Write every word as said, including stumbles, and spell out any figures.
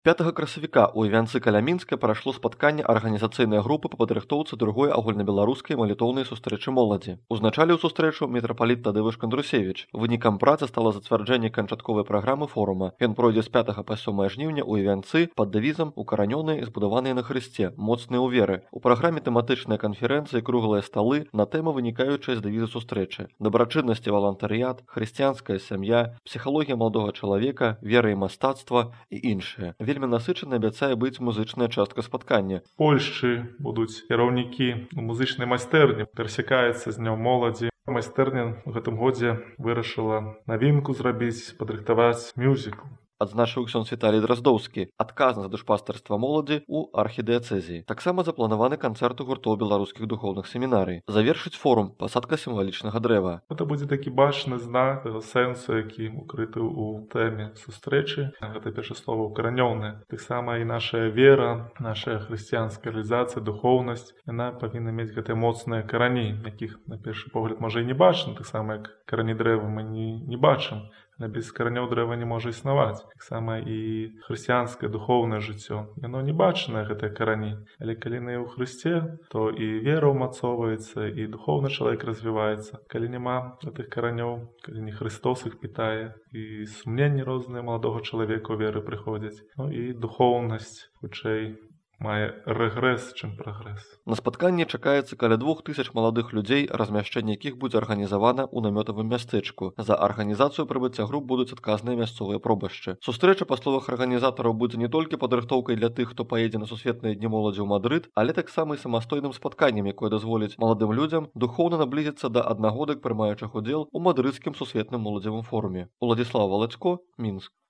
пятага красавіка ў Івянцы каля Мінска прайшло спатканне арганізацыйнай групы па падрыхтоўцы другой агульнабеларускай малітоўнай сустрэчы моладзі. Узначаліў сустрэчу мітрапаліт Тадэвыш Кандрусевіч. Вынікам працы стала зацвярджэнне канчатковай праграмы форума. Ён пройдзе з пятага па сёмае жніўня ў Івянцы пад дэвізам «Укаранёныя і збудаваныя на Хрысце, моцныя ў веры». У праграме тэматычныя канферэнцыі, круглыя сталы на тэмы, вынікаючыя з дэвіза сустрэчы. Дабрачыннасць і валантарыят, хрысціянская сям'я, псіхалогія маладога чалавека, вера і мастацтва і іншыя. Вельмі насычана абяцае быць музычная частка спаткання. Польшчы будуць кіраўнікі у музычнай майстэрні, перасякаецца з днём моладзі. Майстэрня ў гэтым годзе вырашыла навінку зрабіць, падрыхтаваць мюзікл. Адзначыў ксёндз Віталій Драздоўскі, адказны за душпастарства моладзі ў архідыяцэзіі. Таксама запланаваны канцэрт у гуртоў беларускіх духоўных семінарый. Завершыць форум пасадка сімвалічнага дрэва. Гэта будзе такі бачны знак таго сэнсу, які укрыты ў тэме сустрэчы. Гэта першае слова «укаранёныя». Таксама і наша вера, наша хрысціянская рэалізацыя, духоўнасць, яна павінна мець гэтыя моцныя карані, якіх на першы погляд можа і не бачна, таксама як карані дрэва мы не, не бачым. Але без каранёў дрэва не можа існаваць. Таксама і хрысціянскае духоўнае жыццё. Яно не бачнае, гэтыя карані. Але калі яны ў Хрысце, то і вера ўмацоўваецца, і духоўны чалавек развіваецца. Калі няма гэтых каранёў, калі не Хрыстос іх пітае, і сумненні розныя маладога чалавека ў веры прыходзяць. Ну і духоўнасць, хутчэй, мае рэгрэс, чым прагрэс. На спатканні чакаецца каля двух тысяч маладых людзей, размяшчэнне якіх будзе арганізавана ў намётавым мястэчку. За арганізацыю прыбыцця груп будуць адказныя мясцовыя пробашчы. Сустрэча, па словах арганізатараў, будзе не толькі падрыхтоўкай для тых, хто паедзе на сусветныя дні моладзі ў Мадрыд, але таксама і самастойным спатканнем, якое дазволіць маладым людзям духоўна наблізіцца да аднагодак прымаючых удзел у мадрыдскім сусветным моладзевым форуме. Уладзіслаў Валацько, Мінск.